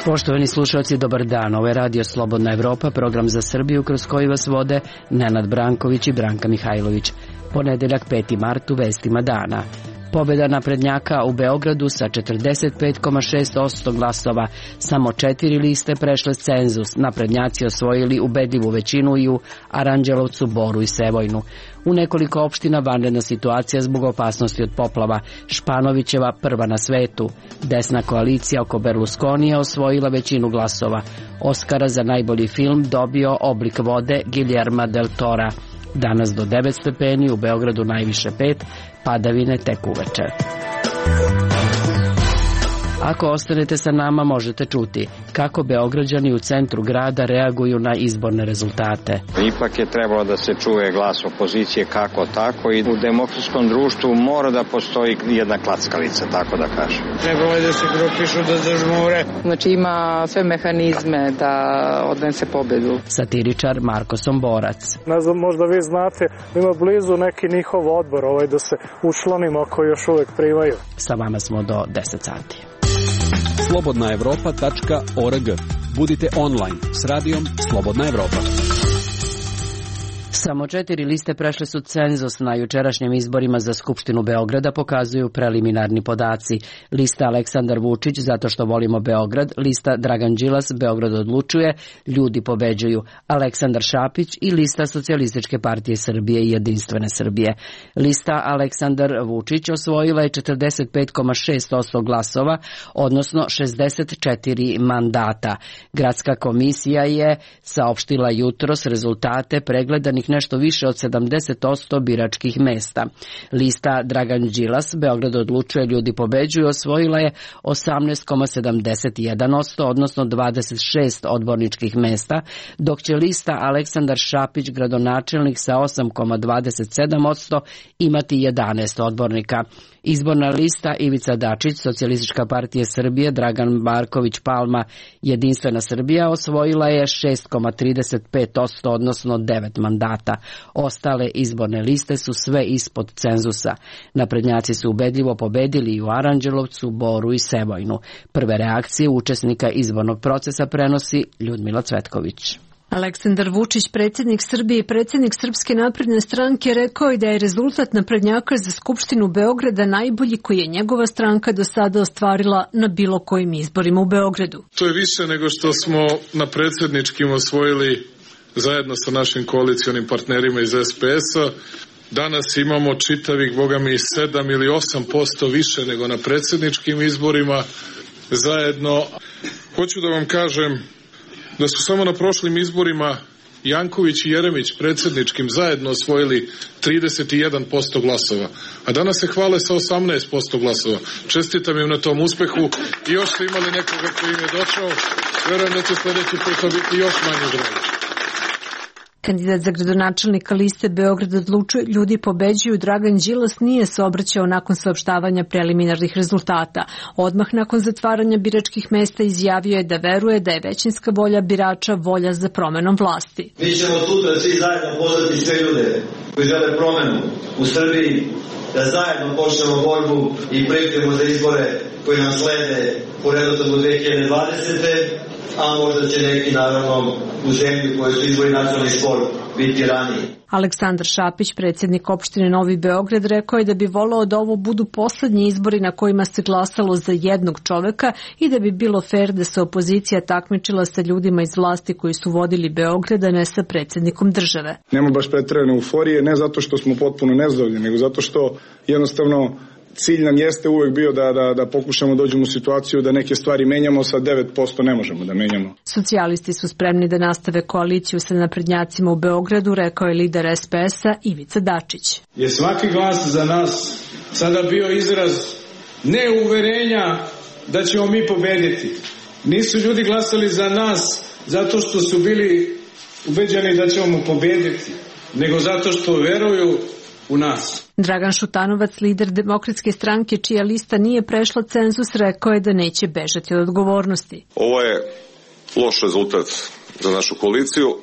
Poštovani slušalci, dobar dan. Ovo je Radio Slobodna Evropa, program za Srbiju kroz koji vas vode Nenad Branković i Branka Mihajlović. Ponedeljak 5. mart u vestima dana. Pobjeda naprednjaka u Beogradu sa 45,6% glasova. Samo 4 liste prešle cenzus. Naprednjaci osvojili ubedljivu većinu i u Aranđelovcu, Boru i Sevojnu. U nekoliko opština vanredna situacija zbog opasnosti od poplava. Španovićeva prva na svetu. Desna koalicija oko Berlusconija osvojila većinu glasova. Oskara za najbolji film dobio Oblik vode Guillerma del Tora. Danas do 9 stepeni, u Beogradu najviše 5, padavine tek uveče. Ako ostanete sa nama, možete čuti kako Beograđani u centru grada reaguju na izborne rezultate. Ipak je trebalo da se čuje glas opozicije kako tako i u demokratskom društvu mora da postoji jedna klackalica, tako da kažem. Trebalo je da se grupišu da zažmure. Znači ima sve mehanizme da odnese pobedu. Satiričar Marko Somborac. Ne znam, možda vi znate, ima blizu neki njihov odbor da se učlanimo ako još uvek primaju. Sa vama smo do 10 sati. slobodnaevropa.org. Budite online s radijom Slobodna Evropa. Samo 4 liste prešle su cenzus na jučerašnjim izborima za Skupštinu Beograda, pokazuju preliminarni podaci. Lista Aleksandar Vučić, zato što volimo Beograd, lista Dragan Đilas, Beograd odlučuje, ljudi pobeđuju, Aleksandar Šapić i lista Socijalističke partije Srbije i Jedinstvene Srbije. Lista Aleksandar Vučić osvojila je 45,6% glasova, odnosno 64 mandata. Gradska komisija je saopštila jutros rezultate pregledanih nešto više od 70% biračkih mesta. Lista Dragan Đilas, Beograd odlučuje, ljudi pobeđuju, osvojila je 18,71%, odnosno 26 odborničkih mesta, dok će lista Aleksandar Šapić, gradonačelnik sa 8,27%, imati 11 odbornika. Izborna lista Ivica Dačić, Socijalistička partija Srbije, Dragan Marković Palma, Jedinstvena Srbija osvojila je 6,35%, odnosno 9 mandata. Ostale izborne liste su sve ispod cenzusa. Naprednjaci su ubedljivo pobedili i u Aranđelovcu, Boru i Sevojnu. Prve reakcije učesnika izbornog procesa prenosi Ljudmila Cvetković. Aleksandar Vučić, predsjednik Srbije i predsjednik Srpske napredne stranke, rekao je da je rezultat naprednjaka za Skupštinu Beograda najbolji koji je njegova stranka do sada ostvarila na bilo kojim izborima u Beogradu. To je više nego što smo na predsjedničkim osvojili zajedno sa našim koalicionim partnerima iz SPS-a. Danas imamo čitavih, bogami, 7 ili 8% više nego na predsjedničkim izborima zajedno. Hoću da vam kažem da su samo na prošlim izborima Janković i Jeremić predsjedničkim zajedno osvojili 31% glasova, a danas se hvale sa 18% glasova. Čestitam im na tom uspehu i još ste imali nekoga koji im je došao. Verujem da će sljedeći puta biti još manje broj. Kandidat za gradonačelnika liste Beograd odlučuje, ljudi pobeđuju, Dragan Đilas nije se obraćao nakon saopštavanja preliminarnih rezultata. Odmah nakon zatvaranja biračkih mesta izjavio je da veruje da je većinska volja birača volja za promenom vlasti. Mi ćemo sutra svi zajedno pozvati sve ljude koji žele promenu u Srbiji, da zajedno počnemo borbu i pripremu za izbore koji nam slede po redosledu 2020. a možda će neki, naravno, u zemlji koji su izbori nacionalni spor biti raniji. Aleksandar Šapić, predsjednik opštine Novi Beograd, rekao je da bi voleo da ovo budu poslednji izbori na kojima se glasalo za jednog čoveka i da bi bilo fer da se opozicija takmičila sa ljudima iz vlasti koji su vodili Beograd, a ne sa predsjednikom države. Nema baš preterane euforije, ne zato što smo potpuno nezadovoljni, nego zato što jednostavno cilj nam jeste uvek bio da pokušamo dođemo u situaciju da neke stvari menjamo, sa 9% ne možemo da menjamo. Socijalisti su spremni da nastave koaliciju sa naprednjacima u Beogradu, rekao je lider SPS-a Ivica Dačić. Je svaki glas za nas sada bio izraz neuverenja da ćemo mi pobediti. Nisu ljudi glasali za nas zato što su bili ubeđeni da ćemo pobediti, nego zato što veruju u nas. Dragan Šutanovac, lider Demokratske stranke, čija lista nije prešla cenzus, rekao je da neće bežati od odgovornosti. Ovo je loš rezultat za našu koaliciju,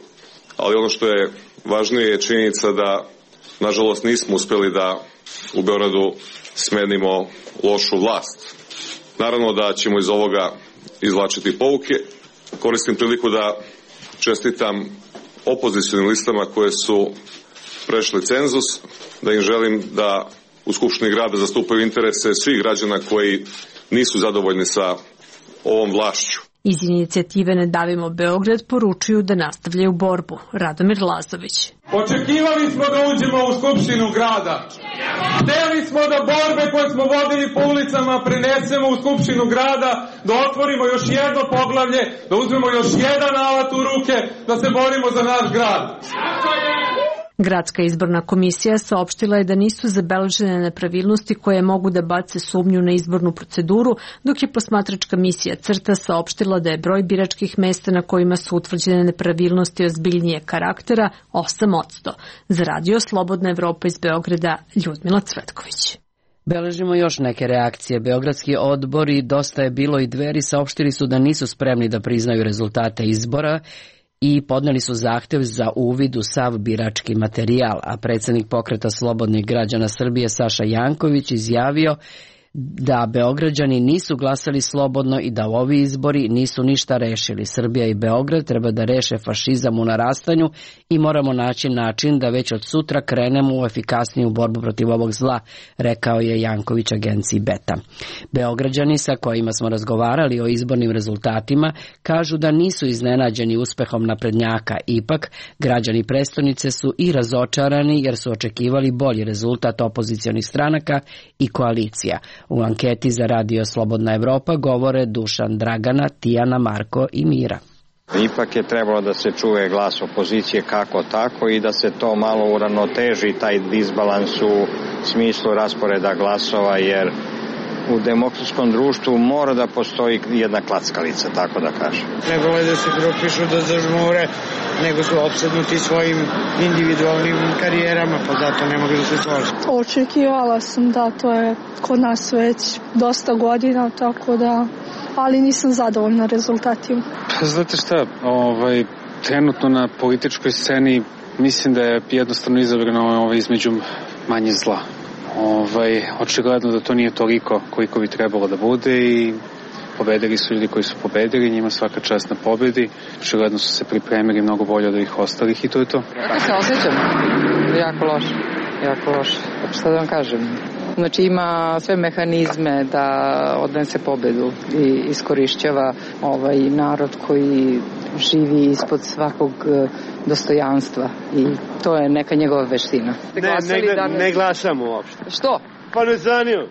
ali ono što je važnije je činjenica da, nažalost, nismo uspjeli da u Beogradu smenimo lošu vlast. Naravno da ćemo iz ovoga izvlačiti pouke. Koristim priliku da čestitam opozicionim listama koje su prešli cenzus, da im želim da u Skupštini grada zastupaju interese svih građana koji nisu zadovoljni sa ovom vlašću. Iz inicijative Ne davimo Beograd poručuju da nastavljaju borbu. Radomir Lazović. Očekivali smo da uđemo u Skupštinu grada. Hteli smo da borbe koje smo vodili po ulicama prenesemo u Skupštinu grada, da otvorimo još jedno poglavlje, da uzmemo još jedan alat u ruke, da se borimo za naš grad. Gradska izborna komisija saopštila je da nisu zabeležene nepravilnosti koje mogu da bace sumnju na izbornu proceduru, dok je posmatračka misija CRTA saopštila da je broj biračkih mesta na kojima su utvrđene nepravilnosti ozbiljnije karaktera 8%. Za Radio Slobodna Evropa iz Beograda, Ljudmila Cvetković. Beležimo još neke reakcije. Beogradski odbori Dosta je bilo i Dveri saopštili su da nisu spremni da priznaju rezultate izbora i podneli su zahtev za uvid u sav birački materijal, a predsjednik Pokreta slobodnih građana Srbije Saša Janković izjavio da Beograđani nisu glasali slobodno i da ovi izbori nisu ništa rešili. Srbija i Beograd treba da reše fašizam u narastanju i moramo naći način da već od sutra krenemo u efikasniju borbu protiv ovog zla, rekao je Janković agenciji Beta. Beograđani sa kojima smo razgovarali o izbornim rezultatima kažu da nisu iznenađeni uspehom naprednjaka, ipak građani prestonice su i razočarani jer su očekivali bolji rezultat opozicionih stranaka i koalicija. U anketi za Radio Slobodna Evropa govore Dušan, Dragana, Tijana, Marko i Mira. Ipak je trebalo da se čuje glas opozicije kako tako i da se to malo uravnoteži, taj disbalans u smislu rasporeda glasova, jer u demokratskom društvu mora da postoji jedna klackalica, tako da kažem. Trebalo je da se grupišu, da zažmure, nego su opsednuti svojim individualnim karijerama, pa zato ne mogu da se složi. Očekivala sam da to je kod nas već dosta godina, tako da, ali nisam zadovoljna rezultatima. Znate šta, trenutno na političkoj sceni mislim da je jednostavno izabrano između manje zla. Očigledno da to nije toliko koliko bi trebalo da bude i pobedili su ljudi koji su pobedili, njima svaka čast na pobedi. Očigledno su se pripremili mnogo bolje od ovih ostalih i to je to. Kako se osjećam? Jako loše, jako loše. Šta da vam kažem? Znači ima sve mehanizme da odnese pobedu i iskorišćava narod koji živi ispod svakog dostojanstva i to je neka njegova veština. Ne glasamo uopšte. Što? Pa ne zanio.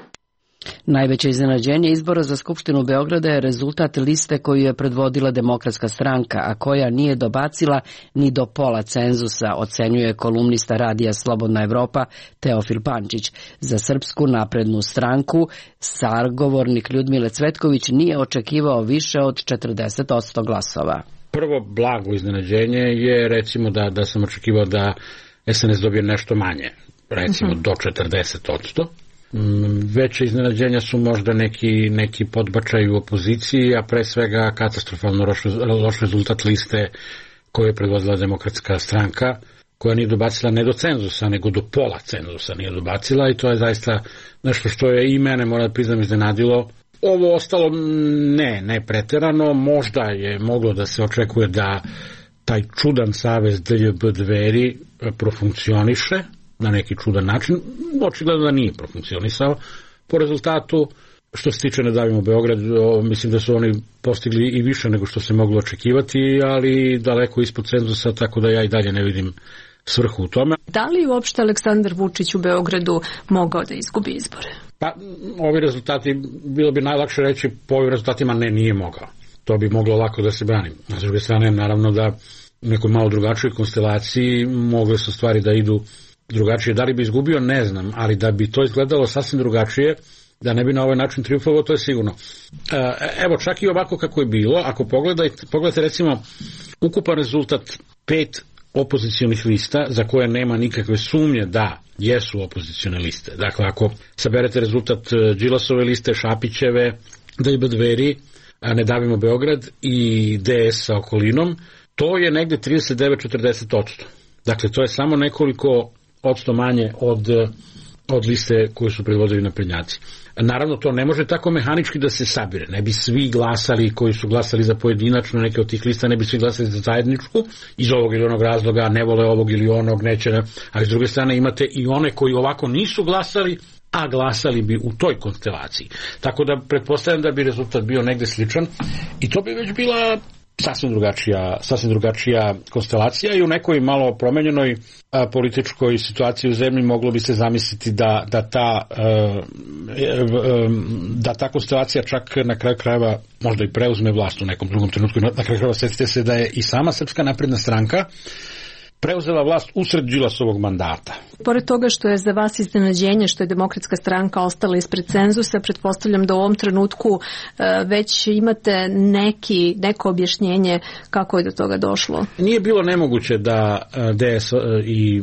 Najveće iznenađenje izbora za Skupštinu Beograda je rezultat liste koju je predvodila Demokratska stranka, a koja nije dobacila ni do pola cenzusa, ocenjuje kolumnista Radija Slobodna Evropa Teofil Pančić. Za Srpsku naprednu stranku sagovornik Ljudmile Cvetković nije očekivao više od 40% glasova. Prvo blago iznenađenje je recimo da sam očekivao da SNS dobije nešto manje, recimo do 40%. Veće iznenađenja su možda neki podbačaj u opoziciji, a pre svega katastrofalno loš rezultat liste koju je predvodila Demokratska stranka, koja nije dobacila ne do cenzusa, nego do pola cenzusa nije dobacila i to je zaista nešto što je i mene, moram da priznam, iznenadilo. Ovo ostalo ne preterano, možda je moglo da se očekuje da taj čudan savez DJB Dveri profunkcioniše na neki čudan način, očigledno da nije profunkcionisao. Po rezultatu, što se tiče Ne davimo Beograd, mislim da su oni postigli i više nego što se moglo očekivati, ali daleko ispod cenzusa, tako da ja i dalje ne vidim svrhu u tome. Da li uopšte Aleksandar Vučić u Beogradu mogao da izgubi izbore? Pa, ovi rezultati, bilo bi najlakše reći po ovim rezultatima nije mogao. To bi moglo lako da se brani. S druge strane, naravno da u nekoj malo drugačijoj konstelaciji mogle su stvari da idu drugačije. Da li bi izgubio, ne znam, ali da bi to izgledalo sasvim drugačije, da ne bi na ovaj način triumfovao, to je sigurno. Evo, čak i ovako kako je bilo, ako pogledate recimo ukupan rezultat 5 opozicionih lista za koje nema nikakve sumnje da jesu opozicione liste. Dakle, ako saberete rezultat Đilasove liste, Šapićeve, DJB Dveri, Ne davimo Beograd i DS sa okolinom, to je negde 39-40%. Dakle, to je samo nekoliko odsto manje od liste koju su predvodili naprednjaci. Naravno, to ne može tako mehanički da se sabire. Ne bi svi glasali koji su glasali za pojedinačno neke od tih lista, ne bi svi glasali za zajedničku, iz ovog ili onog razloga, ne vole ovog ili onog, neće, ali s druge strane imate i one koji ovako nisu glasali, a glasali bi u toj konstelaciji. Tako da pretpostavljam da bi rezultat bio negde sličan i to bi već bila sasvim drugačija konstelacija i u nekoj malo promenjenoj političkoj situaciji u zemlji moglo bi se zamisliti da ta konstelacija čak na kraju krajeva možda i preuzme vlast u nekom drugom trenutku. Na kraju krajeva setite se da je i sama Srpska napredna stranka preuzela vlast usred Đilasovog mandata. Pored toga što je za vas iznenađenje što je Demokratska stranka ostala ispred cenzusa, pretpostavljam da u ovom trenutku već imate neko objašnjenje kako je do toga došlo. Nije bilo nemoguće da DS i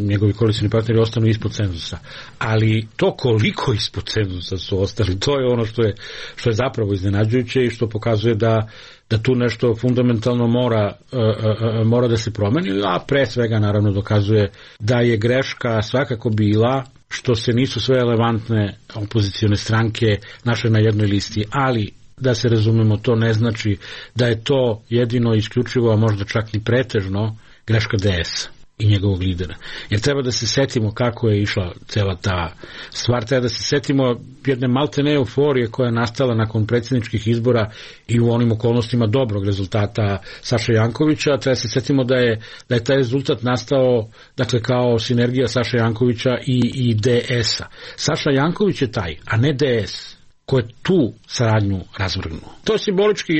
njegovi koalicioni partneri ostanu ispod cenzusa, ali to koliko ispod cenzusa su ostali, to je ono što je zapravo iznenađujuće i što pokazuje da tu nešto fundamentalno mora da se promeni, a pre svega naravno dokazuje da je greška svakako bila što se nisu sve relevantne opozicione stranke našle na jednoj listi, ali da se razumemo, to ne znači da je to jedino isključivo, a možda čak ni pretežno greška DS i njegovog lidera. Jer treba da se setimo kako je išla cela ta stvar, treba da se setimo jedne maltene euforije koja je nastala nakon predsjedničkih izbora i u onim okolnostima dobrog rezultata Saše Jankovića. Treba da se setimo da je taj rezultat nastao, dakle, kao sinergija Saše Jankovića i DS-a. Saša Janković je taj, a ne DS, ko je tu saradnju razvrgnuo. To je simbolički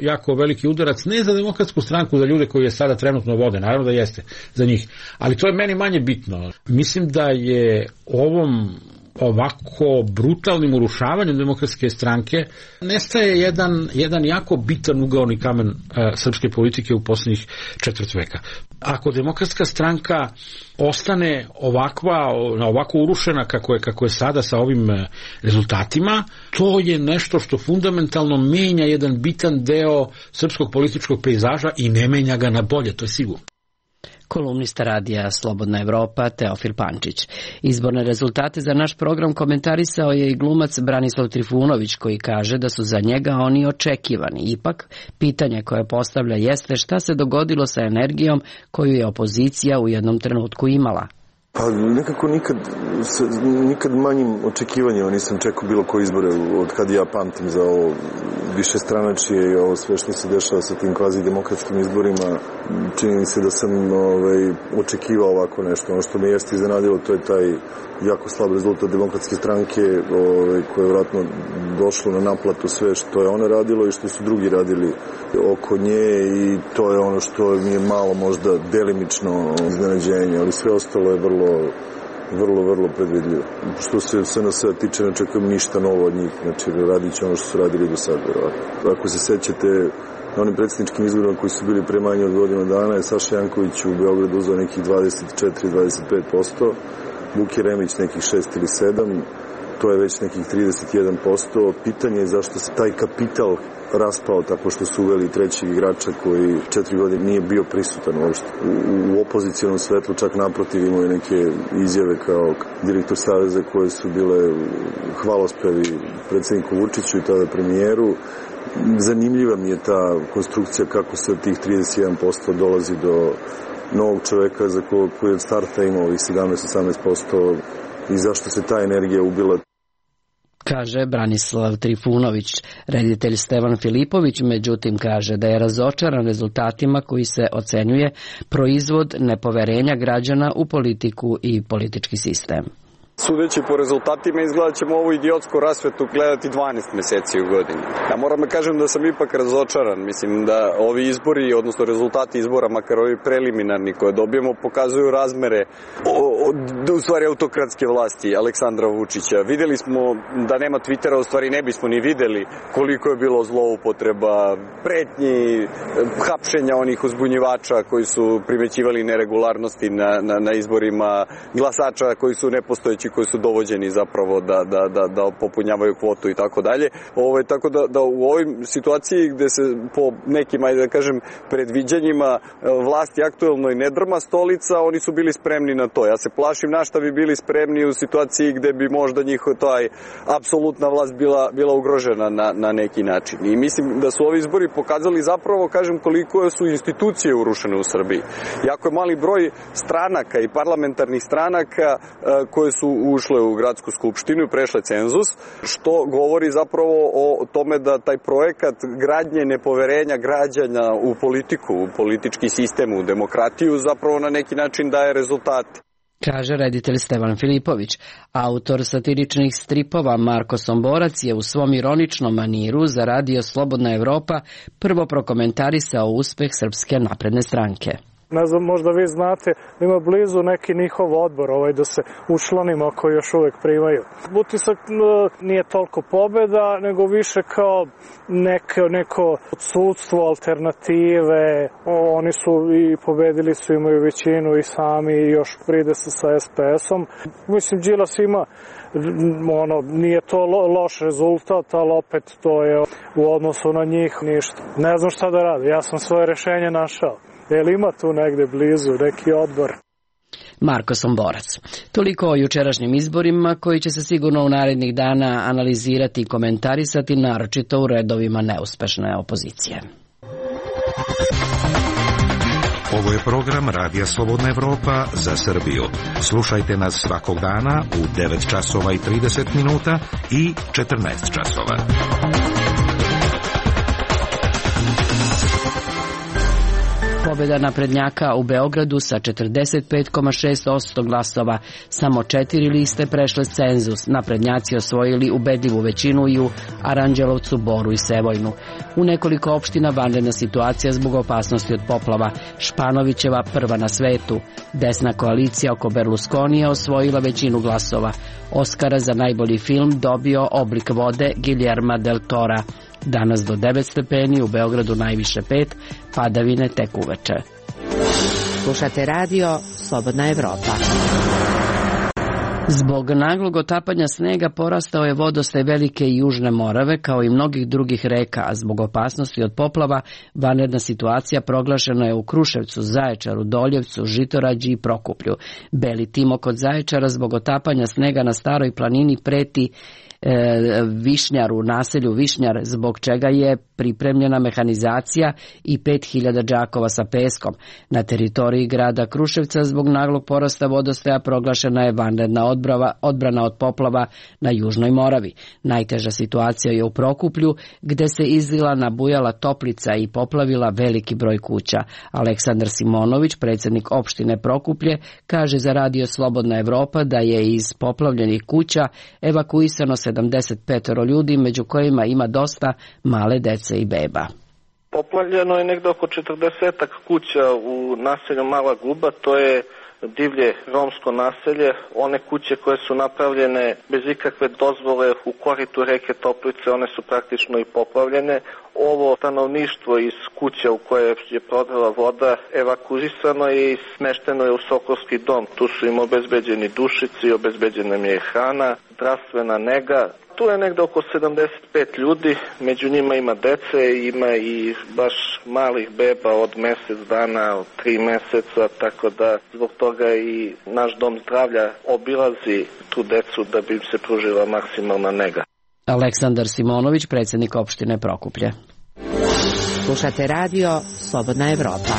jako veliki udarac, ne za Demokratsku stranku, za ljude koji je sada trenutno vode, naravno da jeste za njih, ali to je meni manje bitno. Mislim da je ovom ovako brutalnim urušavanjem Demokratske stranke nestaje jedan jako bitan ugaoni kamen srpske politike u posljednjih četvrt veka. Ako Demokratska stranka ostane ovako urušena kako je sada sa ovim rezultatima, to je nešto što fundamentalno menja jedan bitan deo srpskog političkog pejzaža i ne menja ga na bolje, to je sigurno. Kolumnista radija Slobodna Evropa Teofil Pančić. Izborne rezultate za naš program komentarisao je i glumac Branislav Trifunović, koji kaže da su za njega oni očekivani. Ipak, pitanje koje postavlja jeste šta se dogodilo sa energijom koju je opozicija u jednom trenutku imala. Pa nekako nikad manjim očekivanjima nisam čekao bilo koje izbore od kad ja pamtim za ovo višestranačije i ovo sve što se dešava sa tim kvazi demokratskim izborima. Čini mi se da sam očekivao ovako nešto. Ono što me jeste iznenadilo, to je taj jako slab rezultat Demokratske stranke koje je vratno došlo na naplatu sve što je ona radilo i što su drugi radili oko nje, i to je ono što mi je malo možda delimično iznenađenje, ali sve ostalo je vrlo predvidljivo. Što se SNS-a tiče, ne čekam ništa novo od njih, znači radit će ono što su radili do sada. Ako se sećate, na onim predsjedničkim izborima koji su bili pre manje od godinu dana je Saša Janković u Beogradu uzeo nekih 24-25%, Vuk Jeremić nekih 6 ili 7%, to je već nekih 31%. Pitanje je zašto se taj kapital raspao tako što su uveli trećeg igrača koji 4 godine nije bio prisutan uopšte. U opozicijalnom svetlu čak naprotiv imao je neke izjave kao direktor Saveza koje su bile hvalospevi predsjedniku Vučiću i tada premijeru. Zanimljiva mi je ta konstrukcija kako se od tih 31% dolazi do novog čoveka za koji od starta imao ovih 17-18% i zašto se ta energija ubila. Kaže Branislav Trifunović. Reditelj Stevan Filipović međutim kaže da je razočaran rezultatima koji se ocenjuje proizvod nepoverenja građana u politiku i politički sistem. Sudeći po rezultatima izgleda ćemo ovu idiotsku rasvetu gledati 12 meseci u godini. Ja moram da kažem da sam ipak razočaran. Mislim da ovi izbori, odnosno rezultati izbora, makar ovi preliminarni koje dobijemo, pokazuju razmere u stvari autokratske vlasti Aleksandra Vučića. Videli smo da nema Twittera, u stvari ne bismo ni videli koliko je bilo zloupotreba, pretnji, hapšenja onih uzbunjivača koji su primećivali neregularnosti na izborima, glasača koji su nepostojeći koji su dovođeni zapravo da popunjavaju kvotu i tako dalje. Tako da u ovoj situaciji gde se po nekim, ajde da kažem, predviđanjima vlasti aktuelnoj ne drma stolica, oni su bili spremni na to. Ja se plašim na šta bi bili spremni u situaciji gde bi možda njihov taj apsolutna vlast bila ugrožena na neki način. I mislim da su ovi izbori pokazali zapravo, kažem, koliko su institucije urušene u Srbiji. Jako je mali broj stranaka i parlamentarnih stranaka koje su ušle u gradsku skupštinu i prešle cenzus, što govori zapravo o tome da taj projekat gradnje nepoverenja građana u politiku, u politički sistem, u demokratiju zapravo na neki način daje rezultate. Kaže reditelj Stevan Filipović. Autor satiričnih stripova Marko Somborac je u svom ironičnom maniru za radio Slobodna Evropa prvo prokomentarisao uspeh Srpske napredne stranke. Ne znam, možda vi znate da ima blizu neki njihov odbor da se učlanimo koji još uvek primaju. Utisak nije toliko pobeda, nego više kao neko odsudstvo, alternative. Oni su i pobedili su, imaju većinu i sami i još pride se sa SPS-om. Mislim, Đilas ima, nije to loš rezultat, ali opet to je u odnosu na njih ništa. Ne znam šta da radi, ja sam svoje rešenje našao. Jel ima tu negde blizu neki odbor? Marko Somborac. Toliko o jučerašnjim izborima koji će se sigurno u narednih dana analizirati i komentarisati, naročito u redovima neuspešne opozicije. Ovo je program Radija Slobodna Evropa za Srbiju. Slušajte nas svakog dana u 9 časova i 30 minuta i 14 časova. Pobjeda naprednjaka u Beogradu sa 45,6% glasova. Samo 4 liste prešle cenzus. Naprednjaci osvojili ubedljivu većinu i u Aranđelovcu, Boru i Sevojnu. U nekoliko opština vanredna situacija zbog opasnosti od poplava. Španovićeva prva na svetu. Desna koalicija oko Berlusconija osvojila većinu glasova. Oskara za najbolji film dobio Oblik vode Guillerma del Tora. Danas do 9 stepeni, u Beogradu najviše 5, padavine tek uveče. Slušate radio Slobodna Evropa. Zbog naglog otapanja snega porastao je vodostaj Velike i Južne Morave kao i mnogih drugih reka, a zbog opasnosti od poplava vanredna situacija proglašena je u Kruševcu, Zaječaru, Doljevcu, Žitorađi i Prokuplju. Beli tim kod Zaječara zbog otapanja snega na Staroj planini preti Višnjaru, naselju Višnjar, zbog čega je pripremljena mehanizacija i 5000 džakova sa peskom. Na teritoriji grada Kruševca zbog naglog porasta vodostaja proglašena je vanredna odbrana od poplava na Južnoj Moravi. Najteža situacija je u Prokuplju, gde se izlila nabujala toplica i poplavila veliki broj kuća. Aleksandar Simonović, predsjednik opštine Prokuplje, kaže za radio Slobodna Evropa da je iz poplavljenih kuća evakuisano 75 ljudi, među kojima ima dosta male dece i beba. Poplavljeno je negde oko 40 kuća u naselju Mala Guba, to je divlje romsko naselje. One kuće koje su napravljene bez ikakve dozvole u koritu reke Toplice, one su praktično i poplavljene. Ovo stanovništvo iz kuća u koje je prodala voda evakuisano je i smešteno je u Sokolski dom. Tu su im obezbeđeni dušici, obezbeđena im je hrana, zdravstvena nega. Tu je negde oko 75 ljudi, među njima ima dece, ima i baš malih beba od mjesec dana, od 3 meseca, tako da zbog toga i naš dom zdravlja obilazi tu decu da bi im se pružila maksimalna nega. Aleksandar Simonović, predsjednik opštine Prokuplje. Slušate radio Slobodna Evropa.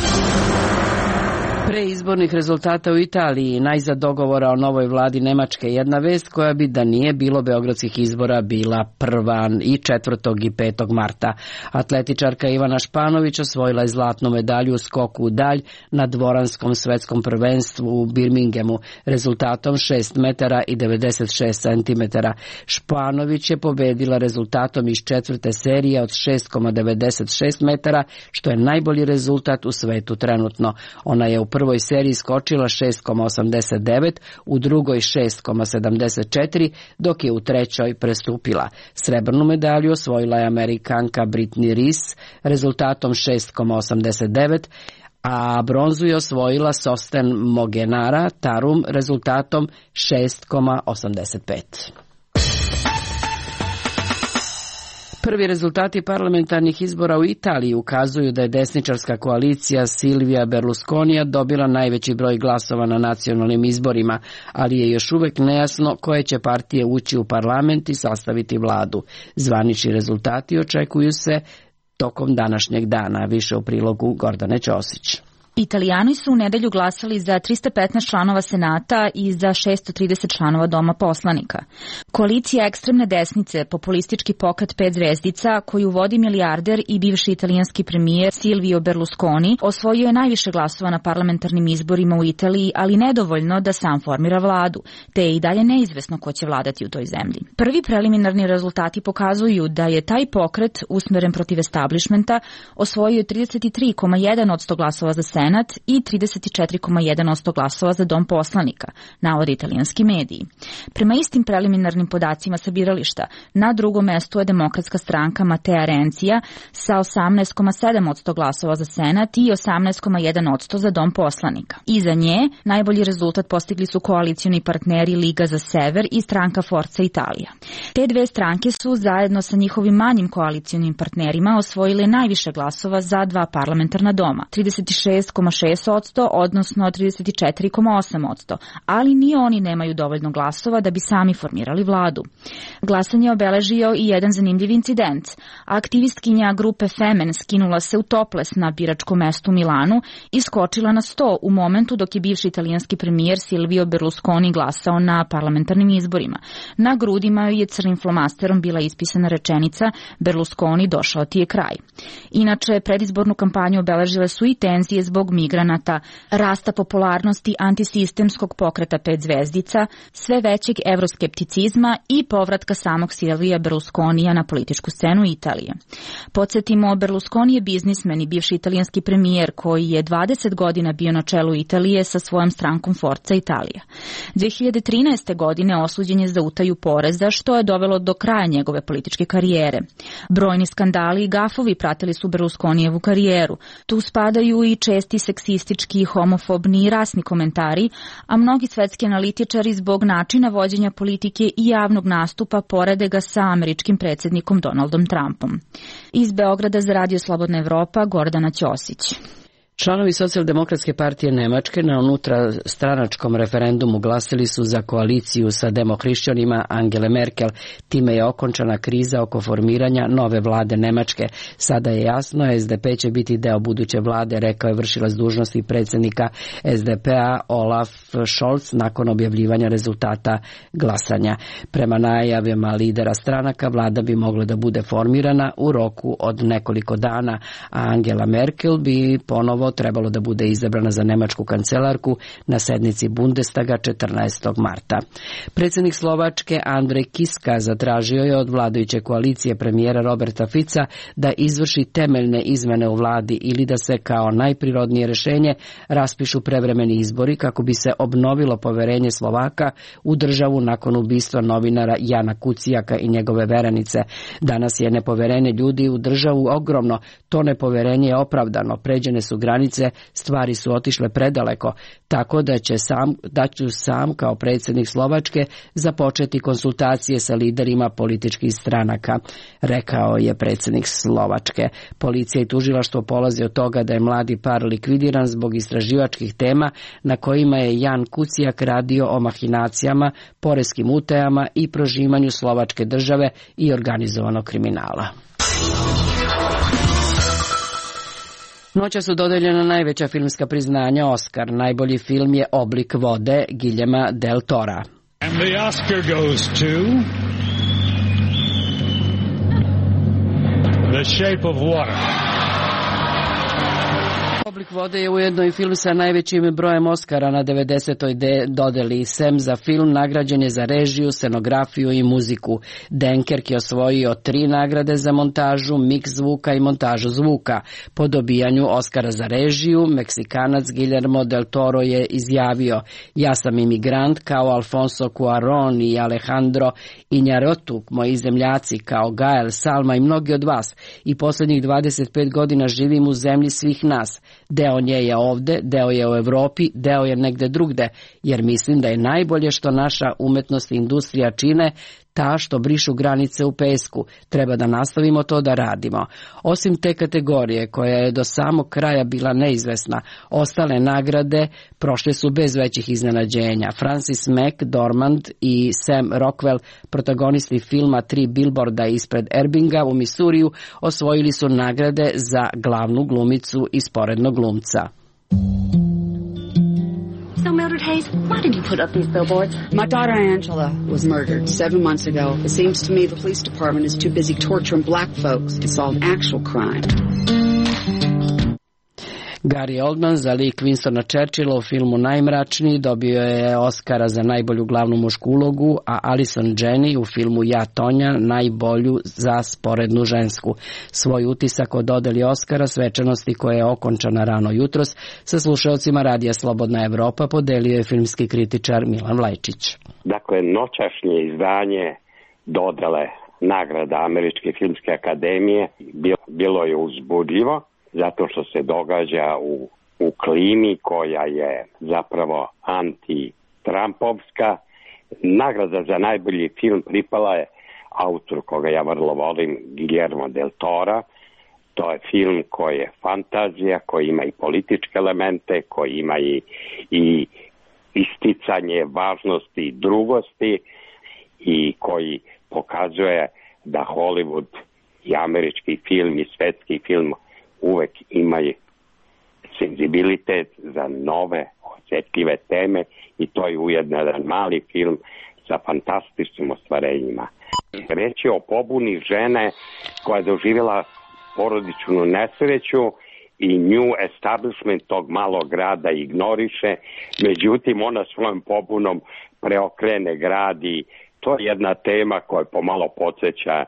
Pre izbornih rezultata u Italiji, najzad dogovora o novoj vladi Nemačke, jedna vest koja bi da nije bilo beogradskih izbora bila 1. i 4. i 5. marta. Atletičarka Ivana Španović osvojila je zlatnu medalju u skoku u dalj na dvoranskom svetskom prvenstvu u Birminghamu rezultatom 6 metara i 96 centimetara. Španović je pobedila rezultatom iz 4. serije od 6,96 metara, što je najbolji rezultat u svetu trenutno. Ona je u prvoj seriji skočila 6,89, u drugoj 6,74, dok je u trećoj prestupila. Srebrnu medalju osvojila je Amerikanka Brittany Reese rezultatom 6,89, a bronzu je osvojila Sosten Mogenara Tarum rezultatom 6,85. Prvi rezultati parlamentarnih izbora u Italiji ukazuju da je desničarska koalicija Silvija Berlusconija dobila najveći broj glasova na nacionalnim izborima, ali je još uvek nejasno koje će partije ući u parlament i sastaviti vladu. Zvanični rezultati očekuju se tokom današnjeg dana. Više u prilogu Gordane Ćosić. Italijani su u nedelju glasali za 315 članova Senata i za 630 članova Doma poslanika. Koalicija ekstremne desnice, populistički pokret 5 zvezdica, koju vodi milijarder i bivši italijanski premijer Silvio Berlusconi, osvojio je najviše glasova na parlamentarnim izborima u Italiji, ali nedovoljno da sam formira vladu, te je i dalje neizvesno ko će vladati u toj zemlji. Prvi preliminarni rezultati pokazuju da je taj pokret, usmeren protiv establishmenta, osvojio 33,1% glasova za Senat i 34,1% glasova za Dom poslanika, navode italijanski mediji. Prema istim preliminarnim podacima sa birališta, na drugom mestu je demokratska stranka Matea Renzija sa 18,7% glasova za Senat i 18,1% za Dom poslanika. Iza nje najbolji rezultat postigli su koalicioni partneri Liga za sever i stranka Forza Italija. Te dve stranke su zajedno sa njihovim manjim koalicionim partnerima osvojile najviše glasova za dva parlamentarna doma, 36,6%, odnosno 34,8%, ali ni oni nemaju dovoljno glasova da bi sami formirali vladu. Glasanje je obeležio i jedan zanimljiv incident. Aktivistkinja grupe Femen skinula se u toples na biračkom mestu u Milanu i skočila na sto u momentu dok je bivši italijanski premijer Silvio Berlusconi glasao na parlamentarnim izborima. Na grudima je crnim flomasterom bila ispisana rečenica Berlusconi, došao ti je kraj. Inače, predizbornu kampanju obeležile su i tenzije zbog migranata, rasta popularnosti antisistemskog pokreta 5 zvezdica, sve većeg evroskepticizma i povratka samog Silvija Berlusconija na političku scenu Italije. Podsjetimo, Berlusconi je biznismen i bivši italijanski premijer koji je 20 godina bio na čelu Italije sa svojom strankom Forza Italija. 2013. godine osuđen je za utaju poreza, što je dovelo do kraja njegove političke karijere. Brojni skandali i gafovi pratili su Berlusconijevu karijeru. Tu spadaju i česti seksistički, homofobni i rasni komentari, a mnogi svetski analitičari zbog načina vođenja politike i javnog nastupa porede ga sa američkim predsjednikom Donaldom Trumpom. Iz Beograda za Radio Slobodna Evropa, Gordana Ćosić. Članovi Socijaldemokratske partije Nemačke na unutrastranačkom referendumu glasili su za koaliciju sa demohrišćanima Angele Merkel. Time je okončana kriza oko formiranja nove vlade Nemačke. Sada je jasno, SDP će biti deo buduće vlade, rekao je vršilac dužnosti predsjednika SDP-a Olaf Scholz nakon objavljivanja rezultata glasanja. Prema najavama lidera stranaka, vlada bi mogla da bude formirana u roku od nekoliko dana, a Angela Merkel bi ponovo trebalo da bude izabrana za nemačku kancelarku na sednici Bundestaga 14. marta. Predsjednik Slovačke Andrej Kiska zatražio je od vladajuće koalicije premijera Roberta Fica da izvrši temeljne izmene u vladi ili da se kao najprirodnije rješenje raspišu prevremeni izbori kako bi se obnovilo poverenje Slovaka u državu nakon ubistva novinara Jana Kucijaka i njegove verenice. Danas je nepoverenje ljudi u državu ogromno. To nepoverenje je opravdano. Pređene su granice, stvari su otišle predaleko, tako da ću sam kao predsjednik Slovačke započeti konsultacije sa liderima političkih stranaka, rekao je predsjednik Slovačke. Policija i tužilaštvo polazi od toga da je mladi par likvidiran zbog istraživačkih tema na kojima je Jan Kucijak radio o mahinacijama, poreskim utajama i prožimanju slovačke države i organizovanog kriminala. Noća su dodeljena najveća filmska priznanja Oscar. Najbolji film je Oblik vode Guillerma del Tora. And the Oscar goes to The Shape of Water. Oblik vode je ujedno i film sa najvećim brojem Oscara na 90. dodeli. Sem za film nagrađen je za režiju, scenografiju i muziku. Dunkerque je osvojio 3 nagrade za montažu, miks zvuka i montažu zvuka. Po dobijanju Oscara za režiju, Meksikanac Guillermo del Toro je izjavio: ja sam imigrant kao Alfonso Cuarón i Alejandro Iñárritu, moji zemljaci kao Gael, Salma i mnogi od vas. I posljednjih 25 godina živim u zemlji svih nas. Deo nje je ovde, deo je u Evropi, deo je negde drugde, jer mislim da je najbolje što naša umetnost i industrija čine ta što brišu granice u pesku. Treba da nastavimo to da radimo. Osim te kategorije koja je do samog kraja bila neizvesna, ostale nagrade prošle su bez većih iznenađenja. Francis McDormand i Sam Rockwell, protagonisti filma 3 bilborda ispred Ebbinga u Misuriju, osvojili su nagrade za glavnu glumicu i sporednog glumca. So, Mildred Hayes, why did you put up these billboards? My daughter Angela was murdered 7 months ago. It seems to me the police department is too busy torturing black folks to solve actual crime. Gary Oldman za lik Winstona Churchilla u filmu Najmračniji dobio je Oscara za najbolju glavnu mušku ulogu, a Allison Janney u filmu Ja, Tonja najbolju za sporednu žensku. Svoj utisak o dodeli Oscara svečanosti koja je okončana rano jutros sa slušaocima Radija Slobodna Evropa podelio je filmski kritičar Milan Vlajčić. Dakle, noćašnje izdanje dodele nagrada Američke filmske akademije bilo je uzbudljivo, zato što se događa u klimi koja je zapravo anti-Trumpovska. Nagrada za najbolji film pripala je autoru koga ja vrlo volim, Guillermo del Tora. To je film koji je fantazija, koji ima i političke elemente, koji ima i isticanje važnosti i drugosti i koji pokazuje da Hollywood i američki film i svetski film uvek imaju senzibilitet za nove, osjetljive teme i to je ujedno jedan mali film sa fantastičnim ostvarenjima. Reč je o pobuni žene koja je doživjela porodičnu nesreću i nju establishment tog malog grada ignoriše, međutim ona svojom pobunom preokrene grad i to je jedna tema koja pomalo podsjeća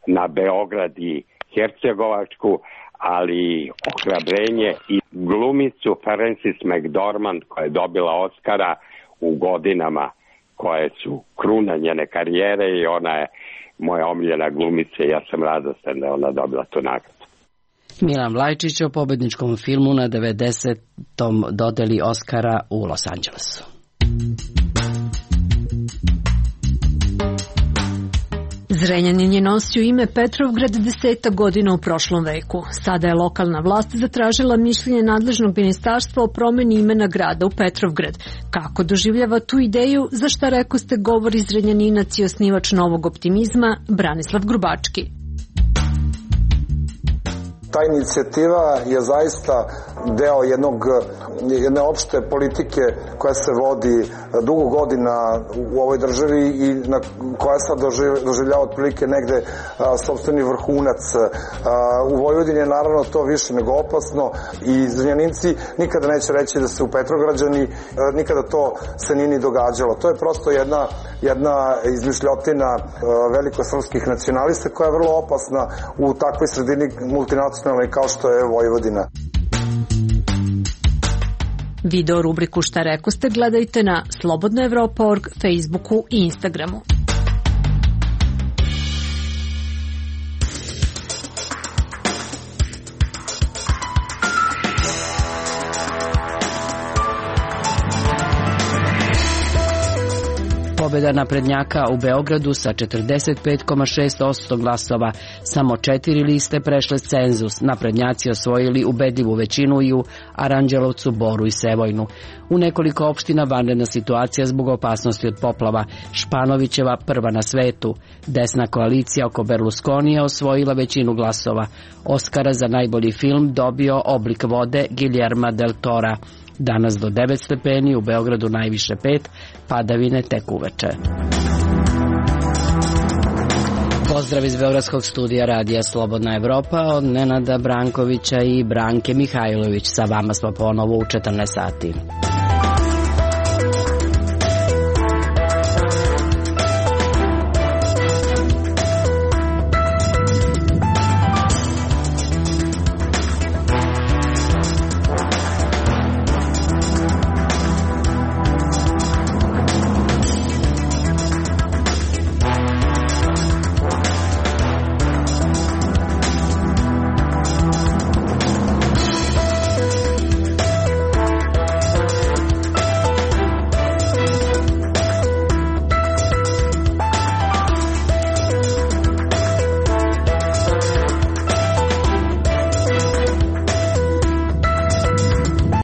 na Beograd i Hercegovačku, ali ohrabrenje i glumicu Francis McDormand koja je dobila Oscara u godinama koje su kruna njene karijere i ona je moja omiljena glumica i ja sam radostan da je ona dobila tu nagradu. Milan Vlajčić o pobedničkom filmu na 90. dodeli Oscara u Los Angelesu. Zrenjanin je nosio ime Petrovgrad 10 godina u prošlom veku. Sada je lokalna vlast zatražila mišljenje nadležnog ministarstva o promeni imena grada u Petrovgrad. Kako doživljava tu ideju, za šta rekoste govori Zrenjaninac i osnivač Novog optimizma Branislav Grubački. Ta inicijativa je zaista deo jedne opšte politike koja se vodi dugo godina u ovoj državi i koja sad doživljava otprilike negde sopstveni vrhunac. U Vojvodini je naravno to više nego opasno i Zrenjaninci nikada neće reći da se u Petrograđani nikada to se nije ni događalo. To je prosto jedna izmišljotina velikosrpskih nacionalista koja je vrlo opasna u takvoj sredini multinacionalnoj kao što je Vojvodina. Video rubriku Šta rekoste gledajte na slobodnaevropa.org, Facebooku i Instagramu. Pobjeda naprednjaka u Beogradu sa 45,6% glasova. Samo 4 liste prešle cenzus. Naprednjaci osvojili ubedljivu većinu i u Aranđelovcu, Boru i Sevojnu. U nekoliko opština vanredna situacija zbog opasnosti od poplava. Španovićeva prva na svetu. Desna koalicija oko Berlusconija osvojila većinu glasova. Oskara za najbolji film dobio Oblik vode Guillerma del Tora. Danas do 9 stepeni, u Beogradu najviše 5, padavine tek uveče. Pozdrav iz Beogradskog studija Radija Slobodna Evropa od Nenada Brankovića i Branke Mihajlović. Sa vama smo ponovo u 14 sati.